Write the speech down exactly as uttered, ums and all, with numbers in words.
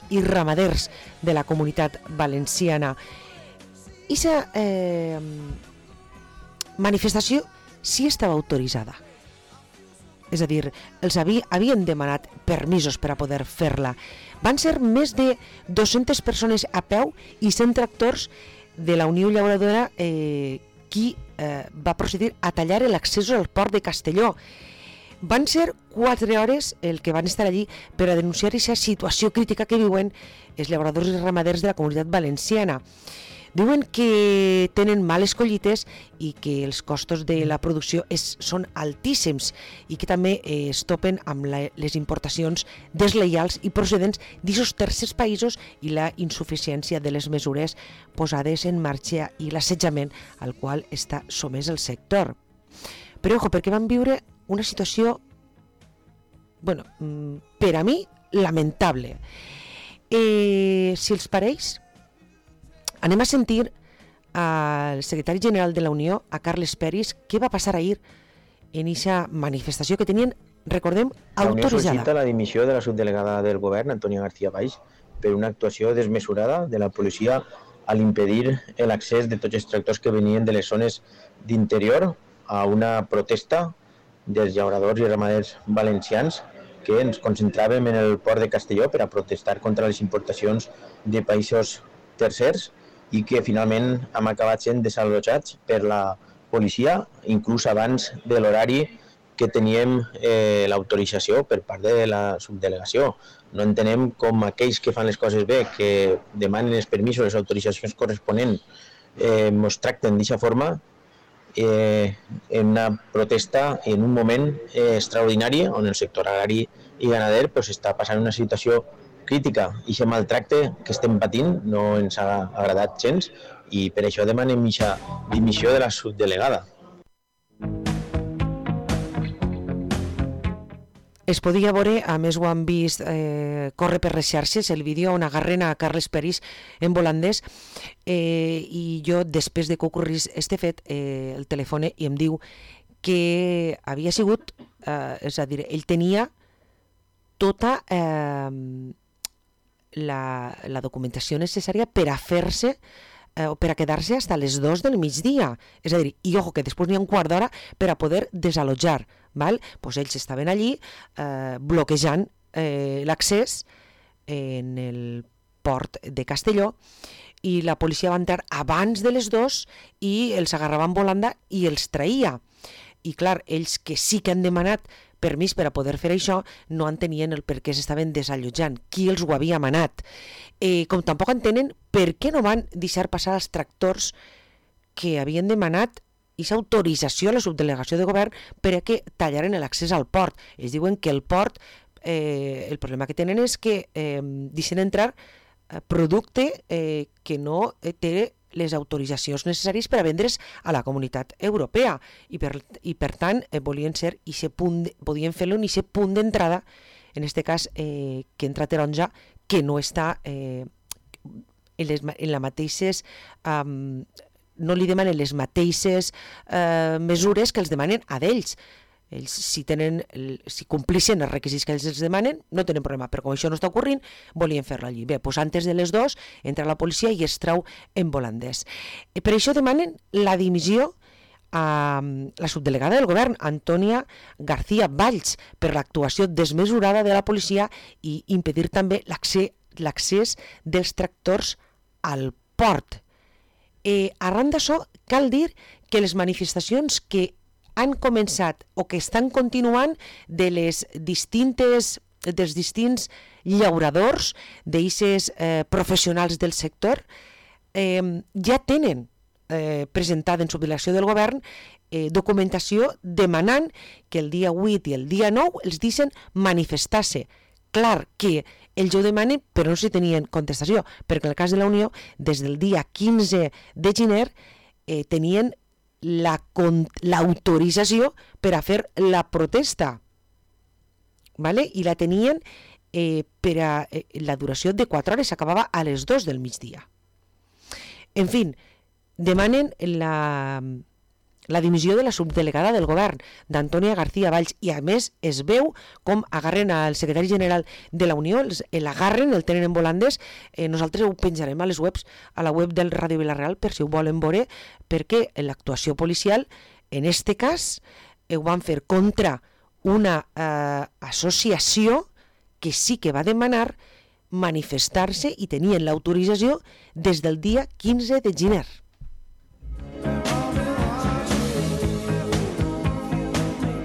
i ramaders de la Comunitat Valenciana. I aquesta eh, manifestació sí estava autoritzada. És a dir, els havia, havien demanat permisos per a poder fer-la. Van ser més de dues-centes persones a peu i cent tractors de la Unió Llauradora eh, qui eh, va procedir a tallar l'accés al port de Castelló. Van ser quatre hores el que van estar allí per a denunciar aquesta situació crítica que viuen els llauradors i ramaders de la Comunitat Valenciana. Diuen que tenen males collites i que els costos de la producció és, són altíssims i que també eh, es topen amb la, les importacions deslleials i procedents d'aquests tercers països i la insuficiència de les mesures posades en marxa i l'assetjament al qual està somès el sector. Però, ojo, perquè van viure una situació, bueno, per a mi, lamentable. Eh, si els pareix, anem a sentir al secretari general de la Unió, a Carles Peris, què va passar ahir en aquesta manifestació que tenien, recordem, autoritzada. La Unió sol·licita la dimissió de la subdelegada del govern, Antònia García Valls, per una actuació desmesurada de la policia a l'impedir l'accés de tots els tractors que venien de les zones d'interior a una protesta dels llauradors i ramaders valencians que ens concentràvem en el port de Castelló per a protestar contra les importacions de països tercers i que finalment hem acabat sent desallotjats per la policia, inclús abans de l'horari que teníem eh, l'autorització per part de la subdelegació. No entenem com aquells que fan les coses bé, que demanen els permisos, les autoritzacions corresponents, eh, ens tracten d'aquesta forma, eh, en una protesta en un moment eh, extraordinari on el sector agrari i ganader pues, està passant una situació crítica i aquest maltracte que estem patint no ens ha agradat gens i per això demanem aquesta dimissió de la subdelegada. Es podia veure, a més ho han vist eh, córrer per les xarxes, el vídeo on agarren a Carles Peris en volandès eh, i jo després de que ocorrís este fet eh, el telefone i em diu que havia sigut, eh, és a dir, ell tenia tota eh, la, la documentació necessària per a fer-se eh, o per a quedar-se fins a les dues del migdia. És a dir, i ojo, que després n'hi ha un quart d'hora per a poder desallotjar. Val? Pues ells estaven allí eh, bloquejant eh, l'accés en el port de Castelló i la policia va entrar abans de les dues i els agarrava en volanda i els traïa. I clar, ells que sí que han demanat permís per a poder fer això no entenien el per què s'estaven desallotjant, qui els ho havia manat. Eh, com tampoc entenen per què no van deixar passar els tractors que havien demanat aquesta autorització a la subdelegació de govern per a que tallaren l'accés al port. Ells diuen que el port, eh, el problema que tenen és que eh, deixen entrar eh, producte eh, que no eh, té les autoritzacions necessàries per a vendre's a la Comunitat Europea i per, i per tant eh, volien ser i se punt, podien fer-lo en aquest punt d'entrada, en aquest cas eh, que entra taronja, que no està eh, en, les, en la mateixes um, no li demanen les mateixes eh, mesures que els demanen a d'ells. Ells, si, tenen, si complixen els requisits que ells els demanen, no tenen problema, però com això no està ocorrint, volien fer-la allí. Bé, doncs antes de les dues entra la policia i es trau en volandès. Per això demanen la dimissió a la subdelegada del govern, Antònia García Valls, per l'actuació desmesurada de la policia i impedir també l'accés dels tractors al port. Eh, arran d'això, cal dir que les manifestacions que han començat o que estan continuant de les distintes, dels distints llauradors, d'eixes eh, professionals del sector, eh, ja tenen eh, presentada en subdelegació del govern eh, documentació demanant que el dia vuit i el dia nou els deixen manifestar-se. Clar que ells ho demanen, però no s'hi tenien contestació, perquè en el cas de la Unió, des del dia quinze de gener, eh, tenien l'autorització la, per a fer la protesta, vale? I la tenien eh, per a eh, la duració de quatre hores, s'acabava a les dues del migdia. En fi, demanen la, la dimissió de la subdelegada del govern, d'Antònia García Valls, i a més es veu com agarren al secretari general de la Unió, l'agarren, el tenen en volandes. Eh, nosaltres ho penjarem a les webs, a la web del Ràdio Vila-real, per si ho volen veure, perquè l'actuació policial, en este cas, ho van fer contra una eh, associació que sí que va demanar manifestar-se i tenien l'autorització des del dia quinze de gener.